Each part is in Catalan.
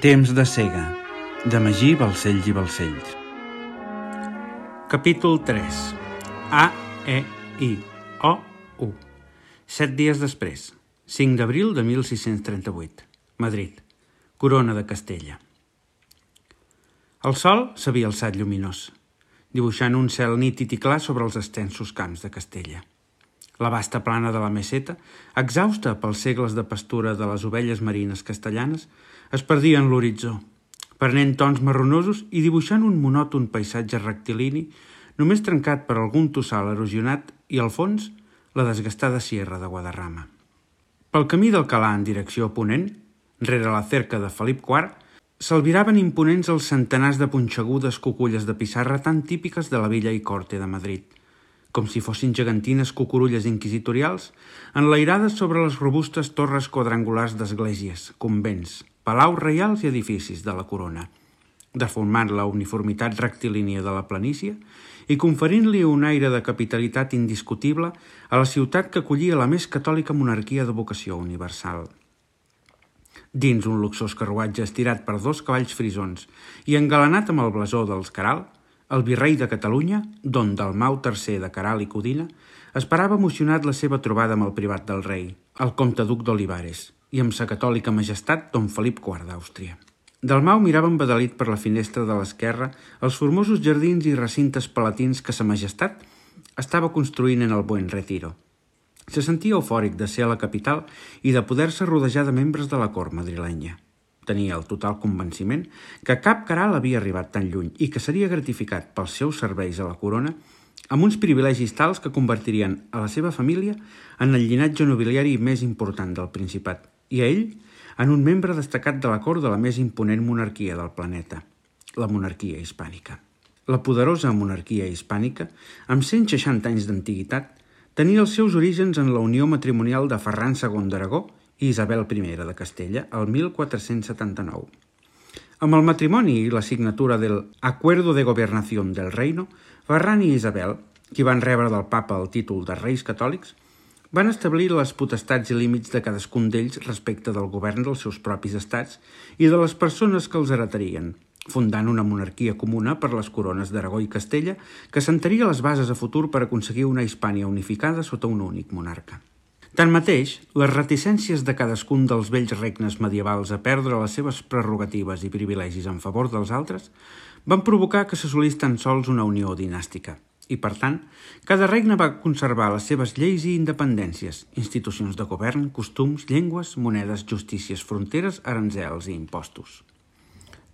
Temps de cega, de Magí Balcells i Balcells. Capítol 3. A, E, I, O, U. 7 dies després, 5 d'abril de 1638, Madrid, Corona de Castella. El sol s'havia alçat lluminós, dibuixant un cel nítid i clar sobre els extensos camps de Castella. La vasta plana de la meseta, exhausta pels segles de pastura de les ovelles marines castellanes, es perdia en l'horitzó, prenent tons marronosos i dibuixant un monòton paisatge rectilini només trencat per algun tossal erosionat i, al fons, la desgastada sierra de Guadarrama. Pel camí d'Alcalà en direcció a ponent, rere la cerca de Felip IV, s'albiraven imponents els centenars de punxegudes cuculles de pissarra tan típiques de la villa i corte de Madrid, com si fossin gegantines cucurulles inquisitorials enlairades sobre les robustes torres quadrangulars d'esglésies, convents, palaus reials i edificis de la corona, deformant la uniformitat rectilínia de la planícia i conferint-li un aire de capitalitat indiscutible a la ciutat que acollia la més catòlica monarquia de vocació universal. Dins un luxós carruatge estirat per 2 cavalls frisons i engalanat amb el blasó dels Queralt, el virrei de Catalunya, don Dalmau III de Queralt i Codina, esperava emocionat la seva trobada amb el privat del rei, el comte duc d'Olivares, i amb sa catòlica majestat don Felip IV d'Àustria. Dalmau mirava embadalit per la finestra de l'esquerra els formosos jardins i recintes palatins que sa majestat estava construint en el Buen Retiro. Se sentia eufòric de ser a la capital i de poder-se rodejar de membres de la cort madrilenya. Tenia el total convenciment que cap Queralt havia arribat tan lluny i que seria gratificat pels seus serveis a la corona amb uns privilegis tals que convertirien a la seva família en el llinatge nobiliari més important del Principat i a ell en un membre destacat de la cort de la més imponent monarquia del planeta, la monarquia hispànica. La poderosa monarquia hispànica, amb 160 anys d'antiguitat, tenia els seus orígens en la unió matrimonial de Ferran II d'Aragó i Isabel I de Castella, el 1479. Amb el matrimoni i la signatura del Acuerdo de Gobernación del Reino, Ferran i Isabel, qui van rebre del papa el títol de reis catòlics, van establir les potestats i límits de cadascun d'ells respecte del govern dels seus propis estats i de les persones que els heretarien, fundant una monarquia comuna per les corones d'Aragó i Castella que assentaria les bases a futur per aconseguir una Hispània unificada sota un únic monarca. Tanmateix, les reticències de cadascun dels vells regnes medievals a perdre les seves prerrogatives i privilegis en favor dels altres van provocar que s'assolís tan sols una unió dinàstica i, per tant, cada regne va conservar les seves lleis i independències, institucions de govern, costums, llengües, monedes, justícies, fronteres, aranzels i impostos.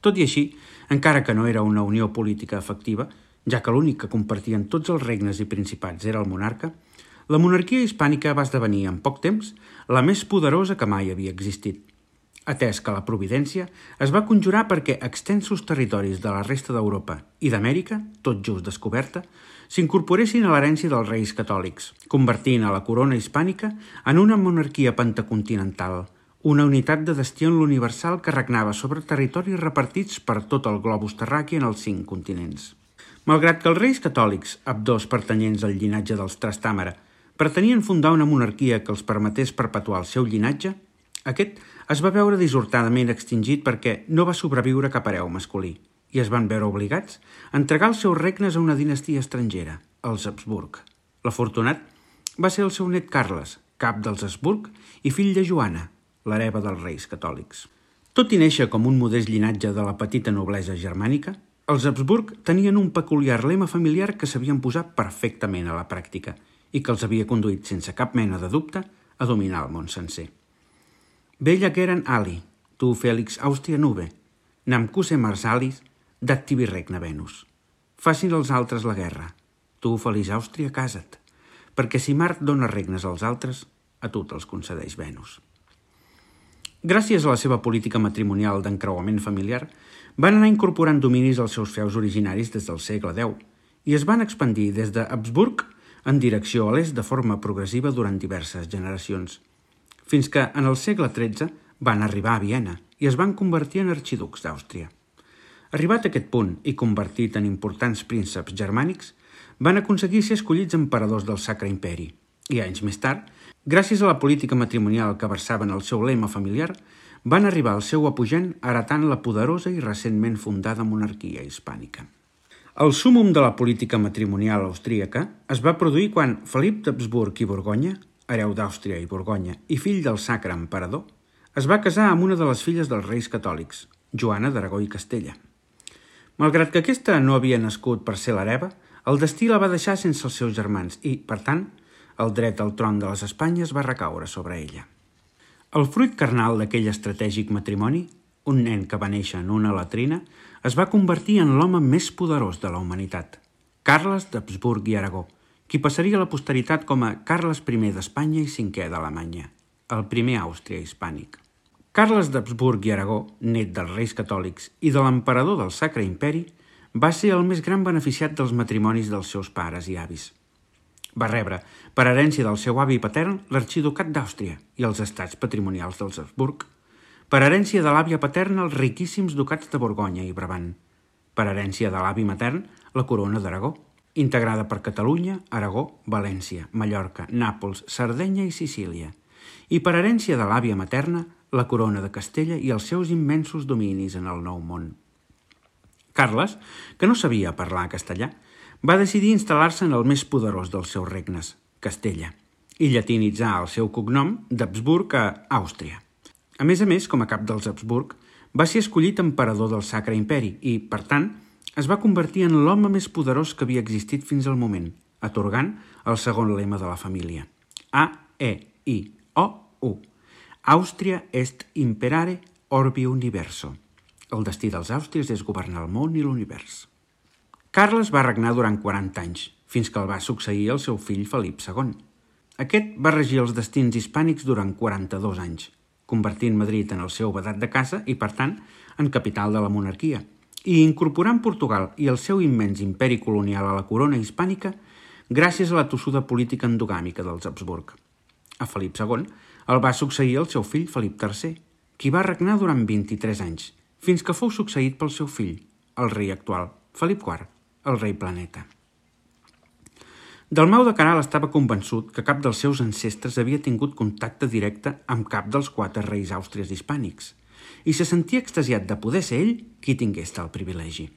Tot i així, encara que no era una unió política efectiva, ja que l'únic que compartien tots els regnes i principats era el monarca, la monarquia hispànica va esdevenir en poc temps la més poderosa que mai havia existit, atès que la providència es va conjurar perquè extensos territoris de la resta d'Europa i d'Amèrica, tot just descoberta, s'incorporessin a l'herència dels reis catòlics, convertint a la corona hispànica en una monarquia pentacontinental, una unitat de destí en l'universal que regnava sobre territoris repartits per tot el globus terraqui en els 5 continents. Malgrat que els reis catòlics, ambdós pertanyents al llinatge dels Trastàmara, pretenien fundar una monarquia que els permetés perpetuar el seu llinatge, aquest es va veure dissortadament extingit perquè no va sobreviure cap hereu masculí i es van veure obligats a entregar els seus regnes a una dinastia estrangera, els Habsburg. L'afortunat va ser el seu net Carles, cap dels Habsburg i fill de Joana, l'hereva dels reis catòlics. Tot i néixer com un modest llinatge de la petita noblesa germànica, els Habsburg tenien un peculiar lema familiar que s'havien posat perfectament a la pràctica i que els havia conduït sense cap mena de dubte a dominar el món sencer. Bella geren ali, tu Félix Àustria nube, nam cuse marsalis, d'activi regna Venus. Facin els altres la guerra, tu feliç Àustria casa't, perquè si Mart dona regnes als altres, a tu te'ls concedeix Venus. Gràcies a la seva política matrimonial d'encreuament familiar, van anar incorporant dominis als seus feus originaris des del segle X i es van expandir des de Habsburg en direcció a l'est de forma progressiva durant diverses generacions, fins que en el segle XIII van arribar a Viena i es van convertir en arxiducs d'Àustria. Arribat a aquest punt i convertit en importants prínceps germànics, van aconseguir ser escollits emperadors del Sacre Imperi i anys més tard, gràcies a la política matrimonial que versaven el seu lema familiar, van arribar al seu apogent heretant la poderosa i recentment fundada monarquia hispànica. El súmmum de la política matrimonial austríaca es va produir quan Felip d'Habsburg i Borgonya, hereu d'Àustria i Borgonya i fill del Sacre Emperador, es va casar amb una de les filles dels reis catòlics, Joana d'Aragó i Castella. Malgrat que aquesta no havia nascut per ser l'hereva, el destí la va deixar sense els seus germans i, per tant, el dret al tron de les Espanyes va recaure sobre ella. El fruit carnal d'aquell estratègic matrimoni, un nen que va néixer en una latrina, es va convertir en l'home més poderós de la humanitat, Carles d'Habsburg i Aragó, qui passaria a la posteritat com a Carles I d'Espanya i V d'Alemanya, el primer Àustria hispànic. Carles d'Habsburg i Aragó, net dels reis catòlics i de l'emperador del Sacre Imperi, va ser el més gran beneficiat dels matrimonis dels seus pares i avis. Va rebre, per herència del seu avi patern, l'arxiducat d'Àustria i els estats patrimonials dels Habsburg, per herència de l'àvia paterna els riquíssims ducats de Borgonya i Brabant, per herència de l'avi matern la corona d'Aragó, integrada per Catalunya, Aragó, València, Mallorca, Nàpols, Sardenya i Sicília, i per herència de l'àvia materna la corona de Castella i els seus immensos dominis en el Nou Món. Carles, que no sabia parlar castellà, va decidir instal·lar-se en el més poderós dels seus regnes, Castella, i llatinitzar el seu cognom d'Habsburg a Àustria. A més, com a cap dels Habsburg, va ser escollit emperador del Sacre Imperi i, per tant, es va convertir en l'home més poderós que havia existit fins al moment, atorgant el segon lema de la família, A-E-I-O-U. Àustria est imperare orbi universo. El destí dels àustries és governar el món i l'univers. Carles va regnar durant 40 anys, fins que el va succeir el seu fill Felip II. Aquest va regir els destins hispànics durant 42 anys, convertint Madrid en el seu vedat de casa i, per tant, en capital de la monarquia, i incorporant Portugal i el seu immens imperi colonial a la corona hispànica gràcies a la tossuda política endogàmica dels Habsburg. A Felip II el va succeir el seu fill Felip III, qui va regnar durant 23 anys, fins que fou succeït pel seu fill, el rei actual, Felip IV, el rei planeta. Dalmau de Queralt estava convençut que cap dels seus ancestres havia tingut contacte directe amb cap dels 4 reis àustries hispànics i se sentia extasiat de poder ser ell qui tingués tal privilegi.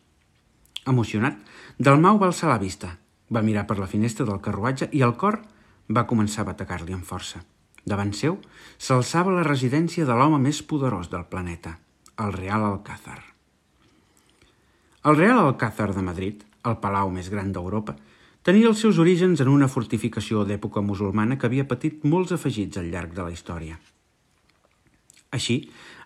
Emocionat, Dalmau va alçar la vista, va mirar per la finestra del carruatge i el cor va començar a bategar-li amb força. Davant seu s'alçava la residència de l'home més poderós del planeta, el Real Alcázar. El Real Alcázar de Madrid, el palau més gran d'Europa, tenia els seus orígens en una fortificació d'època musulmana que havia patit molts afegits al llarg de la història. Així,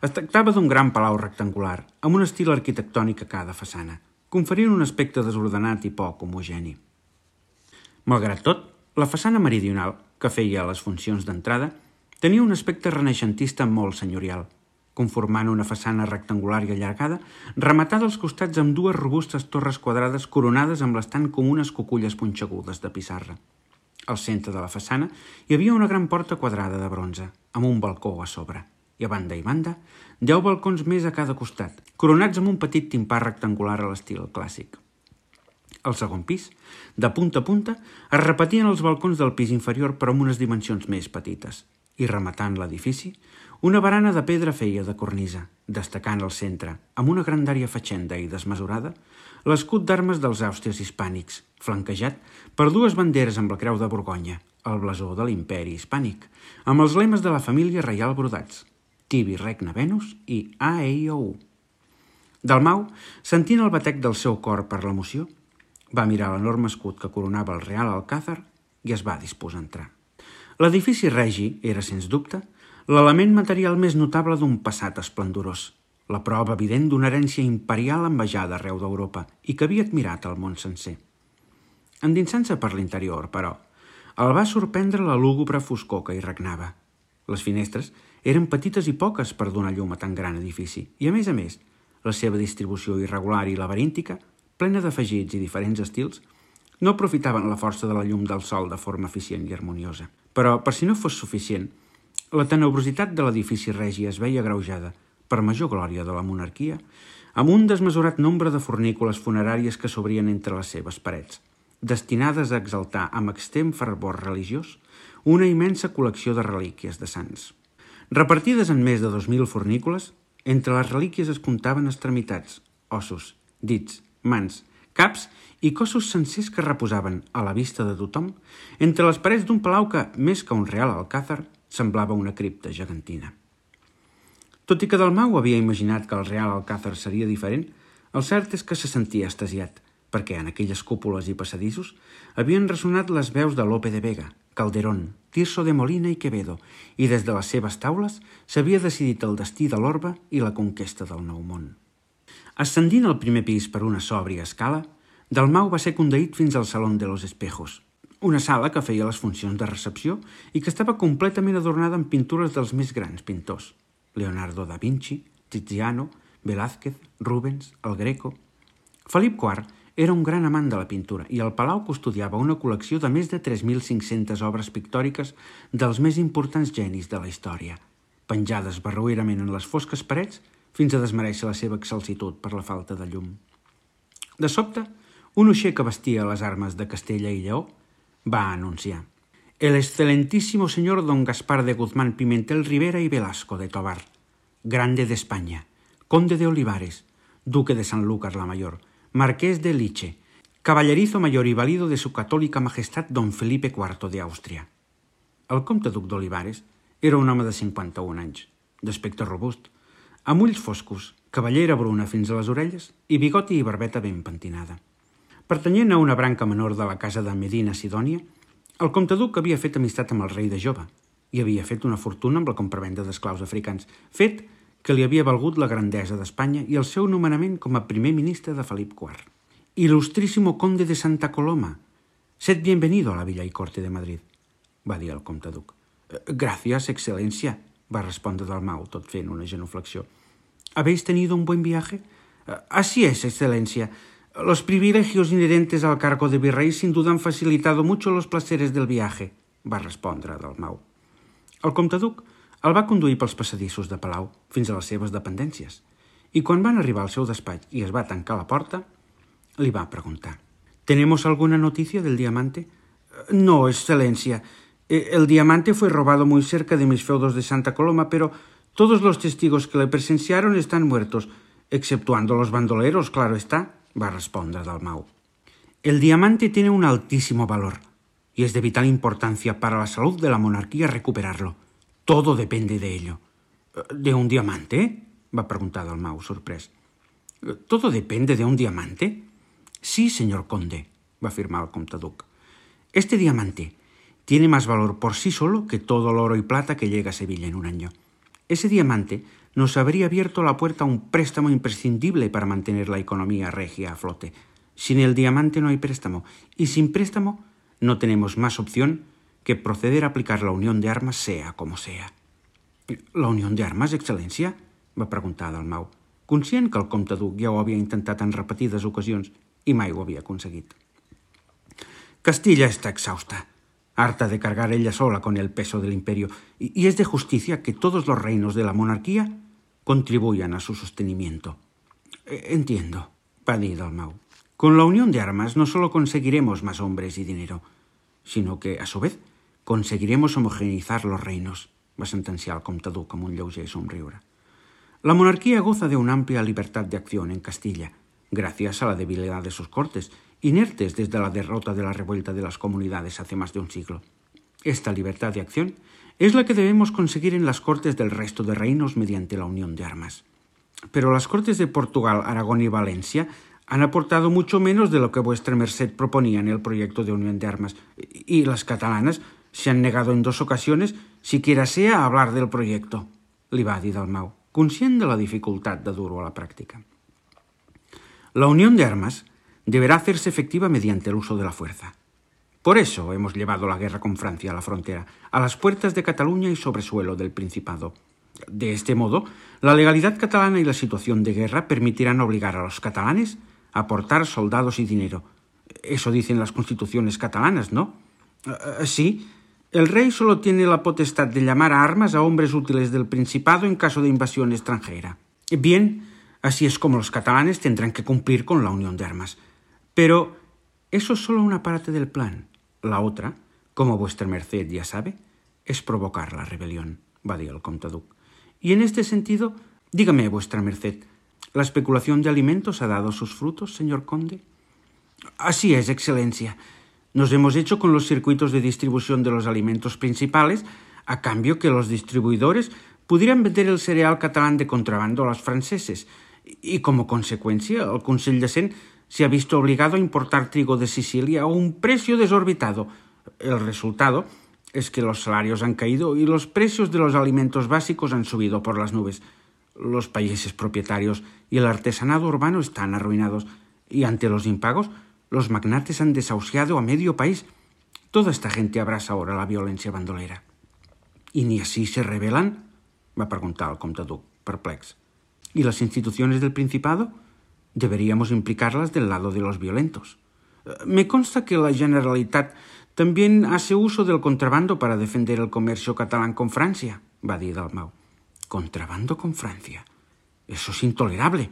es tractava d'un gran palau rectangular, amb un estil arquitectònic a cada façana, conferint un aspecte desordenat i poc homogeni. Malgrat tot, la façana meridional, que feia les funcions d'entrada, tenia un aspecte renaixentista molt senyorial, conformant una façana rectangular i allargada, rematada als costats amb 2 robustes torres quadrades coronades amb les tan comunes cuculles punxegudes de pissarra. Al centre de la façana hi havia una gran porta quadrada de bronze, amb un balcó a sobre, i a banda i banda 10 balcons més a cada costat, coronats amb un petit timpà rectangular a l'estil clàssic. Al segon pis, de punta a punta, es repetien els balcons del pis inferior però amb unes dimensions més petites, i rematant l'edifici, una barana de pedra feia de cornisa, destacant al centre, amb una grandària fatxenda i desmesurada, l'escut d'armes dels àustries hispànics, flanquejat per 2 banderes amb la creu de Borgonya, el blasó de l'imperi hispànic, amb els lemes de la família reial brodats, Tibi regna Venus i A-E-I-O-U. Dalmau, sentint el batec del seu cor per l'emoció, va mirar l'enorme escut que coronava el Real Alcázar i es va disposar a entrar. L'edifici regi era, sens dubte, l'element material més notable d'un passat esplendorós, la prova evident d'una herència imperial envejada arreu d'Europa i que havia admirat el món sencer. Endinsant-se per l'interior, però, el va sorprendre la lúgubre foscor que hi regnava. Les finestres eren petites i poques per donar llum a tan gran edifici i, a més, la seva distribució irregular i laberíntica, plena d'afegits i diferents estils, no aprofitaven la força de la llum del sol de forma eficient i harmoniosa. Però, per si no fos suficient, la tenebrositat de l'edifici regi es veia agreujada, per major glòria de la monarquia, amb un desmesurat nombre de fornícules funeràries que s'obrien entre les seves parets, destinades a exaltar amb extrem fervor religiós una immensa col·lecció de relíquies de sants. Repartides en més de 2.000 fornícules, entre les relíquies es comptaven extremitats, ossos, dits, mans, caps i cossos sencers que reposaven, a la vista de tothom, entre les parets d'un palau que, més que un real alcàsser, semblava una cripta gegantina. Tot i que Dalmau havia imaginat que el real alcàsser seria diferent, el cert és que se sentia extasiat, perquè en aquelles cúpules i passadissos havien ressonat les veus de Lope de Vega, Calderón, Tirso de Molina i Quevedo, i des de les seves taules s'havia decidit el destí de l'orbe i la conquesta del Nou Món. Ascendint al primer pis per una sòbria escala, Dalmau va ser conduït fins al Salón de los Espejos, una sala que feia les funcions de recepció i que estava completament adornada amb pintures dels més grans pintors: Leonardo da Vinci, Tiziano, Velázquez, Rubens, el Greco. Felip IV era un gran amant de la pintura i el palau custodiava una col·lecció de més de 3.500 obres pictòriques dels més importants genis de la història, penjades barroerament en les fosques parets fins a desmereixer la seva excelsitud per la falta de llum. De sobte, un uixer que vestia les armes de Castella i Lleó va anunciar: «El excelentísimo señor don Gaspar de Guzmán Pimentel Rivera y Velasco de Tobar, grande de España, conde de Olivares, duque de Sanlúcar la Mayor, marqués de Liche, caballerizo mayor y valido de su católica majestad don Felipe IV de Àustria». El comte duc d'Olivares era un home de 51 anys, d'aspecte robust, amb ulls foscos, cabellera bruna fins a les orelles i bigoti i barbeta ben pentinada. Pertanyent a una branca menor de la casa de Medina Sidònia, el comte duc havia fet amistat amb el rei de jove i havia fet una fortuna amb la compravenda d'esclaus africans, fet que li havia valgut la grandesa d'Espanya i el seu nomenament com a primer ministre de Felip IV. «Ilustrísimo conde de Santa Coloma, sed bienvenido a la villa y corte de Madrid», va dir el comte duc. «Gracias, excelencia», va respondre Dalmau, tot fent una genuflexió. «¿Habéis tenido un buen viaje?» «Así es, excelencia. Los privilegios inherentes al cargo de virrey sin duda han facilitado mucho los placeres del viaje», va respondre Dalmau. El comte duc el va conduir pels passadissos de palau fins a les seves dependències i quan van arribar al seu despatx i es va tancar la porta, li va preguntar: «¿Tenemos alguna noticia del diamante?» «No, excelencia. El diamante fue robado muy cerca de mis feudos de Santa Coloma, pero todos los testigos que le presenciaron están muertos, exceptuando los bandoleros, claro está», va respondre Dalmau. «El diamante tiene un altísimo valor y es de vital importancia para la salud de la monarquía recuperarlo. Todo depende de ello». «¿De un diamante?» va preguntar Dalmau, sorprès. «¿Todo depende de un diamante?» «Sí, señor conde», va afirmar el comte duc. «Este diamante tiene más valor por sí solo que todo el oro y plata que llega a Sevilla en un año. Ese diamante nos habría abierto la puerta a un préstamo imprescindible para mantener la economía regia a flote. Sin el diamante no hay préstamo, y sin préstamo no tenemos más opción que proceder a aplicar la unión de armas sea como sea». «La unión de armas, excelencia?» va preguntar Dalmau, conscient que el comte duc ja ho havia intentat en repetides ocasions i mai ho havia aconseguit. «Castilla está exhausta, harta de cargar ella sola con el peso del imperio, y es de justicia que todos los reinos de la monarquía contribuyan a su sostenimiento». «Entiendo», va dir Dalmau. «Con la unión de armas no solo conseguiremos más hombres y dinero, sino que, a su vez, conseguiremos homogeneizar los reinos», va sentenciar el comte duc amb un lleuger somriure. «La monarquía goza de una amplia libertad de acción en Castilla, gracias a la debilidad de sus cortes, inertes desde la derrota de la revuelta de las comunidades hace más de un siglo. Esta libertad de acción es la que debemos conseguir en las cortes del resto de reinos mediante la unión de armas. Pero las cortes de Portugal, Aragón y Valencia han aportado mucho menos de lo que vuestra merced proponía en el proyecto de unión de armas, y las catalanas se han negado en 2 ocasiones, siquiera sea a hablar del proyecto», li va dir Dalmau, conscient de la dificultad de dur-ho a la práctica. «La unión de armas deberá hacerse efectiva mediante el uso de la fuerza. Por eso hemos llevado la guerra con Francia a la frontera, a las puertas de Cataluña y sobre suelo del Principado. De este modo, la legalidad catalana y la situación de guerra permitirán obligar a los catalanes a aportar soldados y dinero. Eso dicen las constituciones catalanas, ¿no?» «Sí. El rey solo tiene la potestad de llamar a armas a hombres útiles del Principado en caso de invasión extranjera. Bien, así es como los catalanes tendrán que cumplir con la unión de armas. Pero eso es solo una parte del plan. La otra, como vuestra merced ya sabe, es provocar la rebelión», va dir el comte duc. Y en este sentido, dígame, vuestra merced, ¿la especulación de alimentos ha dado sus frutos, señor conde? Así es, excelencia. Nos hemos hecho con los circuitos de distribución de los alimentos principales a cambio que los distribuidores pudieran vender el cereal catalán de contrabando a los franceses y como consecuencia el Consell de Cent se ha visto obligado a importar trigo de Sicilia a un precio desorbitado. El resultado es que los salarios han caído y los precios de los alimentos básicos han subido por las nubes. Los países propietarios y el artesanado urbano están arruinados y ante los impagos los magnates han desahuciado a medio país. Toda esta gente abraza ahora la violencia bandolera. ¿Y ni así se rebelan?, va preguntar el comte duc, perplex. ¿Y las instituciones del Principado? Deberíamos implicarlas del lado de los violentos. Me consta que la Generalitat también hace uso del contrabando para defender el comercio catalán con Francia, va dir Dalmau. ¿Contrabando con Francia? Eso es intolerable.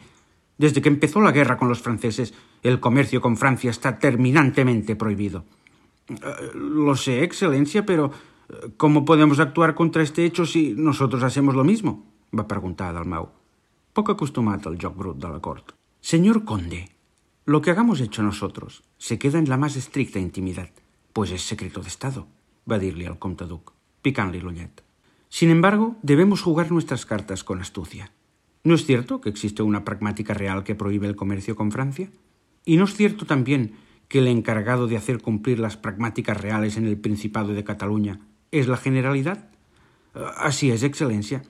Desde que empezó la guerra con los franceses, el comercio con Francia está terminantemente prohibido. Lo sé, excelencia, pero ¿cómo podemos actuar contra este hecho si nosotros hacemos lo mismo?, va preguntar Dalmau, poc acostumat al joc brut de la cort. Señor conde, lo que hagamos hecho nosotros se queda en la más estricta intimidad, pues es secreto de Estado, va dir-li al comte duc, picant-li l'ullet. Sin embargo, debemos jugar nuestras cartas con astucia. ¿No es cierto que existe una pragmática real que prohíbe el comercio con Francia? ¿Y no es cierto también que el encargado de hacer cumplir las pragmáticas reales en el Principado de Cataluña es la Generalidad? Así es, excelencia.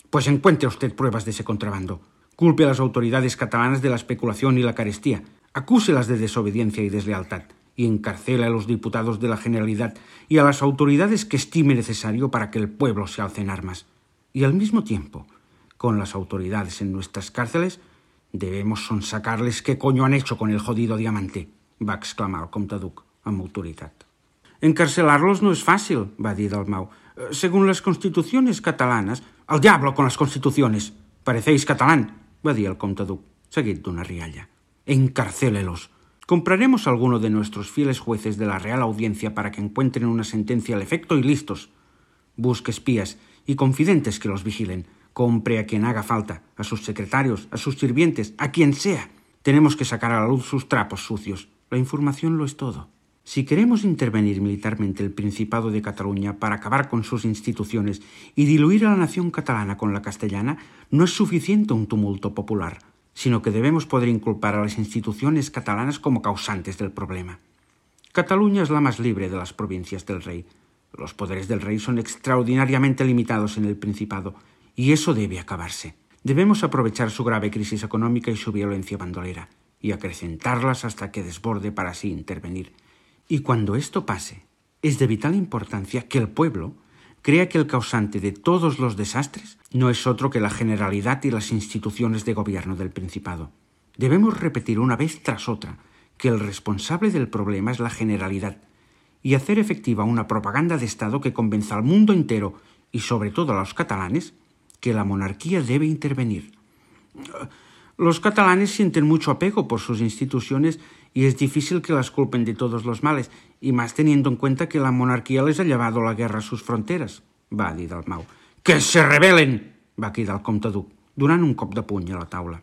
Pues encuentre usted pruebas de ese contrabando. Culpe a las autoridades catalanas de la especulación y la carestía. Acúselas de desobediencia y deslealtad. Y encarcela a los diputados de la Generalidad y a las autoridades que estime necesario para que el pueblo se alce en armas. Y al mismo tiempo, con las autoridades en nuestras cárceles, debemos sonsacarles qué coño han hecho con el jodido diamante, va exclamar el comte duc amb autoritat. Encarcelarlos no es fácil, va dir Dalmau. Según las constituciones catalanas... ¡Al diablo con las constituciones! Parecéis catalán, va dir el comte duc, seguit d'una rialla. Encarcélelos. Compraremos a alguno de nuestros fieles jueces de la Real Audiencia para que encuentren una sentencia al efecto y listos. Busque espías y confidentes que los vigilen. Compre a quien haga falta, a sus secretarios, a sus sirvientes, a quien sea. Tenemos que sacar a la luz sus trapos sucios. La información lo es todo. Si queremos intervenir militarmente el Principado de Cataluña para acabar con sus instituciones y diluir a la nación catalana con la castellana, no es suficiente un tumulto popular, sino que debemos poder inculpar a las instituciones catalanas como causantes del problema. Cataluña es la más libre de las provincias del rey. Los poderes del rey son extraordinariamente limitados en el Principado, y eso debe acabarse. Debemos aprovechar su grave crisis económica y su violencia bandolera, y acrecentarlas hasta que desborde para así intervenir. Y cuando esto pase, es de vital importancia que el pueblo crea que el causante de todos los desastres no es otro que la Generalidad y las instituciones de gobierno del Principado. Debemos repetir una vez tras otra que el responsable del problema es la Generalidad y hacer efectiva una propaganda de Estado que convenza al mundo entero y sobre todo a los catalanes que la monarquía debe intervenir. Los catalanes sienten mucho apego por sus instituciones y es difícil que las culpen de todos los males, y más teniendo en cuenta que la monarquía les ha llevado la guerra a sus fronteras, va dir Dalmau. ¡Que se rebelen!, va cridar el comte duc, donant un cop de puny a la taula.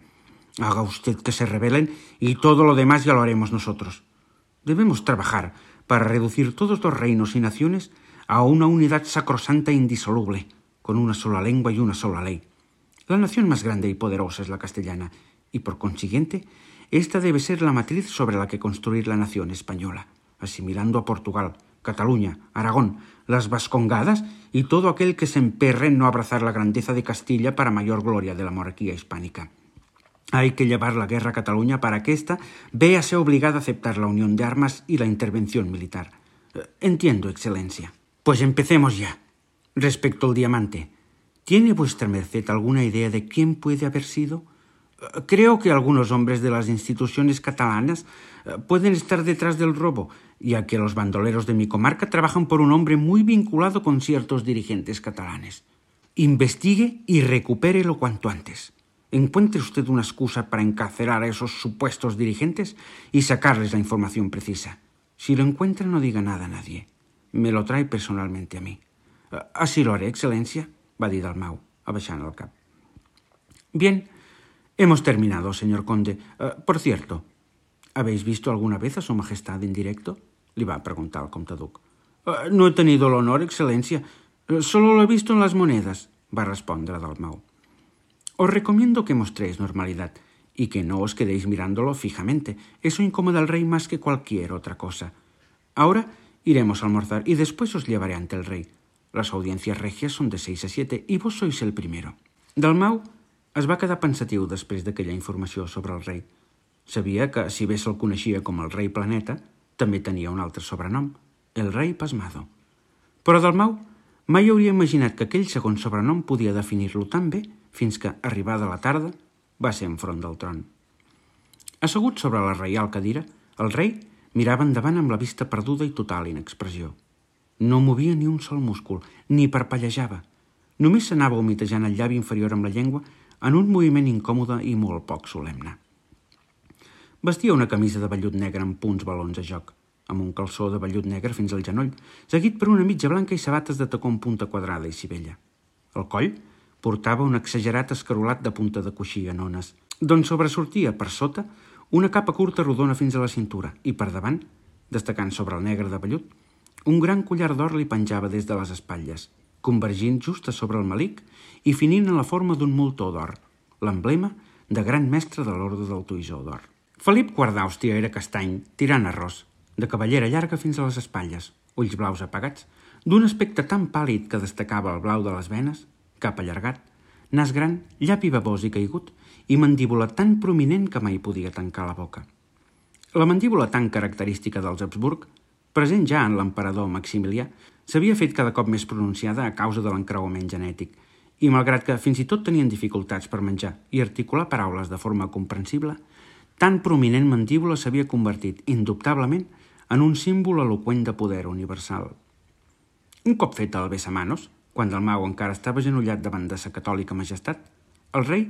Haga usted que se rebelen y todo lo demás ya lo haremos nosotros. Debemos trabajar para reducir todos los reinos y naciones a una unidad sacrosanta e indisoluble, con una sola lengua y una sola ley. La nación más grande y poderosa es la castellana, y por consiguiente, esta debe ser la matriz sobre la que construir la nación española, asimilando a Portugal, Cataluña, Aragón, las Vascongadas y todo aquel que se emperre en no abrazar la grandeza de Castilla para mayor gloria de la monarquía hispánica. Hay que llevar la guerra a Cataluña para que ésta véase obligada a aceptar la unión de armas y la intervención militar. Entiendo, excelencia. Pues empecemos ya. Respecto al diamante, ¿tiene vuestra merced alguna idea de quién puede haber sido? Creo que algunos hombres de las instituciones catalanas pueden estar detrás del robo, ya que los bandoleros de mi comarca trabajan por un hombre muy vinculado con ciertos dirigentes catalanes. Investigue y recupérelo cuanto antes. Encuentre usted una excusa para encarcelar a esos supuestos dirigentes y sacarles la información precisa. Si lo encuentra, no diga nada a nadie. Me lo trae personalmente a mí. Así lo haré, excelencia. va dir Dalmau, abaixant el cap. Bien, hemos terminado, señor conde. Por cierto, ¿habéis visto alguna vez a su majestad en directo? Li va preguntar el comte duc. No he tenido el honor, excelencia. Solo lo he visto en las monedas, va respondre Dalmau. Os recomiendo que mostréis normalidad y que no os quedéis mirándolo fijamente. Eso incomoda al rey más que cualquier otra cosa. Ahora iremos a almorzar y después os llevaré ante el rey. Las audiencias regias són de 6 a 7 i vos sois el primero. Dalmau es va quedar pensatiu després d'aquella informació sobre el rei. Sabia que, si bé se'l coneixia com el rei Planeta, també tenia un altre sobrenom, el rei Pasmado. Però Dalmau mai hauria imaginat que aquell segon sobrenom podia definir-lo tan bé fins que, arribada la tarda, va ser enfront del tron. Assegut sobre la reial cadira, el rei mirava endavant amb la vista perduda i total inexpressió. No movia ni un sol múscul, ni parpellejava. Només s'anava humitejant el llavi inferior amb la llengua en un moviment incòmode i molt poc solemne. Vestia una camisa de vellut negre amb punts balons a joc, amb un calçó de vellut negre fins al genoll, seguit per una mitja blanca i sabates de tacó en punta quadrada i sivella. Al coll portava un exagerat escarolat de punta de coixí en ones, d'on sobresortia per sota una capa curta rodona fins a la cintura i per davant, destacant sobre el negre de vellut, un gran collar d'or li penjava des de les espatlles, convergint just a sobre el melic i finint en la forma d'un moltó d'or, l'emblema de gran mestre de l'Orde del Toisó d'Or. Felip IV d'Àustria era castany, tirant arròs, de cabellera llarga fins a les espatlles, ulls blaus apagats, d'un aspecte tan pàl·lid que destacava el blau de les venes, cap allargat, nas gran, llavi babós i caigut, i mandíbula tan prominent que mai podia tancar la boca. La mandíbula tan característica dels Habsburg, present ja en l'emperador Maximilià, s'havia fet cada cop més pronunciada a causa de l'encreuament genètic, i malgrat que fins i tot tenien dificultats per menjar i articular paraules de forma comprensible, tan prominent mandíbula s'havia convertit, indubtablement, en un símbol eloqüent de poder universal. Un cop fet el besamanos, quan Dalmau encara estava agenollat davant de sa catòlica majestat, el rei,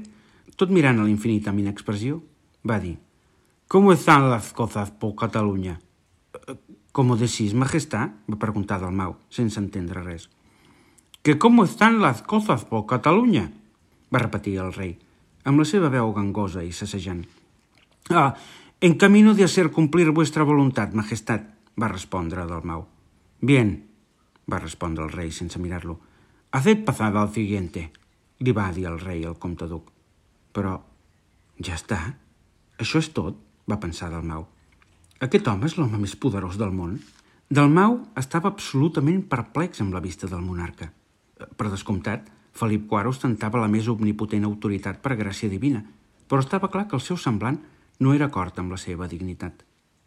tot mirant a l'infinit amb inexpressió, va dir: «¿Cómo están las cosas por Catalunya?» «¿Cómo decís, majestad?» va preguntar Dalmau, sense entendre res. «Que cómo están las cosas por Catalunya?» va repetir el rei, amb la seva veu gangosa i sassejant. «En camino de hacer cumplir vuestra voluntad, majestad», va respondre Dalmau. «Bien», va respondre el rei sense mirar-lo. «Haced pasar al siguiente», li va dir el rei al comte duc. «Però, ja està? Això és tot?» va pensar Dalmau. «Aquest home és l'home més poderós del món?» Dalmau estava absolutament perplex amb la vista del monarca. Per descomptat, Felip IV ostentava la més omnipotent autoritat per gràcia divina, però estava clar que el seu semblant no era acord amb la seva dignitat.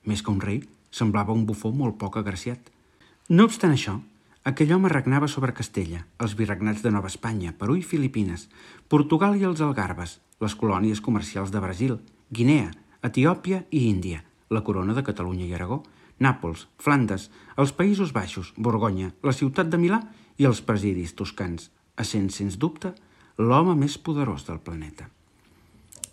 Més que un rei, semblava un bufó molt poc agraciat. No obstant això, aquell home regnava sobre Castella, els virregnats de Nova Espanya, Perú i Filipines, Portugal i els Algarbes, les colònies comercials de Brasil, Guinea, Etiòpia i Índia, la corona de Catalunya i Aragó, Nàpols, Flandes, els Països Baixos, Borgonya, la ciutat de Milà i els presidis toscans, essent, sens dubte, l'home més poderós del planeta.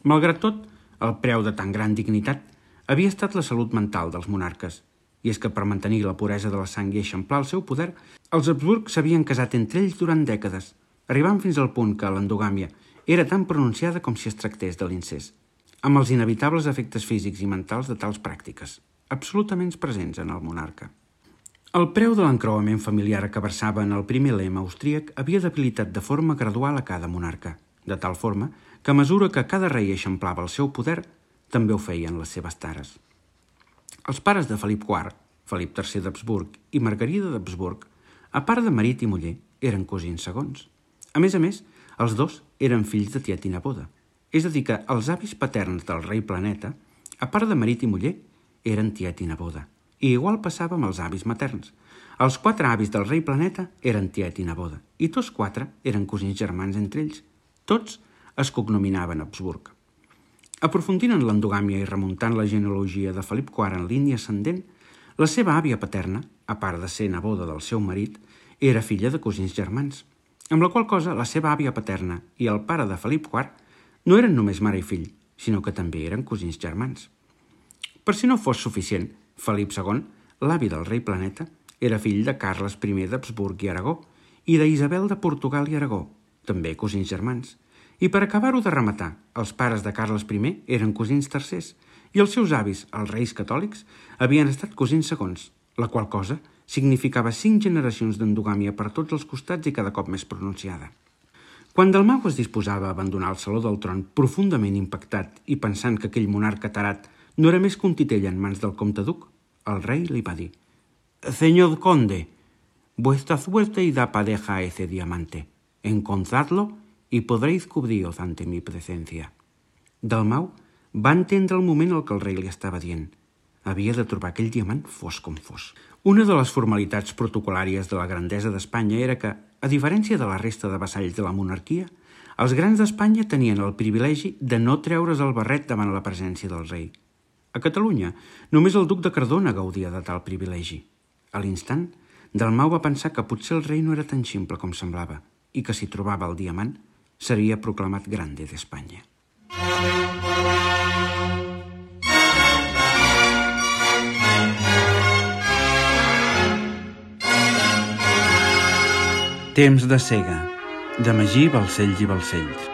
Malgrat tot, el preu de tan gran dignitat havia estat la salut mental dels monarques, i és que per mantenir la puresa de la sang i eixamplar el seu poder, els Habsburg s'havien casat entre ells durant dècades, arribant fins al punt que l'endogàmia era tan pronunciada com si es tractés de l'incest, amb els inevitables efectes físics i mentals de tals pràctiques, absolutament presents en el monarca. El preu de l'encreuament familiar que versava en el primer lema austríac havia debilitat de forma gradual a cada monarca, de tal forma que a mesura que cada rei eixamplava el seu poder, també ho feien les seves tares. Els pares de Felip IV, Felip III d'Habsburg i Margarida d'Habsburg, a part de marit i muller, eren cosins segons. A més, els dos eren fills de tiet i neboda. És a dir, que els avis paterns del rei Planeta, a part de marit i muller, eren tiet i neboda. I igual passava amb els avis materns. Els 4 avis del rei Planeta eren tiet i neboda, i tots 4 eren cosins germans entre ells. Tots es cognominaven Habsburg. Aprofundint en l'endogàmia i remuntant la genealogia de Felip IV en línia ascendent, la seva àvia paterna, a part de ser neboda del seu marit, era filla de cosins germans, amb la qual cosa la seva àvia paterna i el pare de Felip IV no eren només mare i fill, sinó que també eren cosins germans. Per si no fos suficient, Felip II, l'avi del rei Planeta, era fill de Carles I d'Habsburg i Aragó i d'Isabel de Portugal i Aragó, també cosins germans. I per acabar-ho de rematar, els pares de Carles I eren cosins tercers i els seus avis, els reis catòlics, havien estat cosins segons, la qual cosa significava 5 generacions d'endogàmia per tots els costats i cada cop més pronunciada. Quan Dalmau es disposava a abandonar el saló del tron profundament impactat i pensant que aquell monarca tarat no era més que un titell en mans del comte duc, el rei li va dir: «Señor conde, vuestra suerte irá pareja a ese diamante. Encontradlo y podréis cubriros ante mi presencia». Dalmau va entendre el moment el que el rei li estava dient. Havia de trobar aquell diamant fos com fos. Una de les formalitats protocolàries de la grandesa d'Espanya era que, a diferència de la resta de vassalls de la monarquia, els grans d'Espanya tenien el privilegi de no treure's el barret davant la presència del rei. A Catalunya, només el duc de Cardona gaudia de tal privilegi. A l'instant, Dalmau va pensar que potser el rei no era tan ximple com semblava i que si trobava el diamant seria proclamat grande d'Espanya. Temps de cega, de Magí Balcells i Balcells.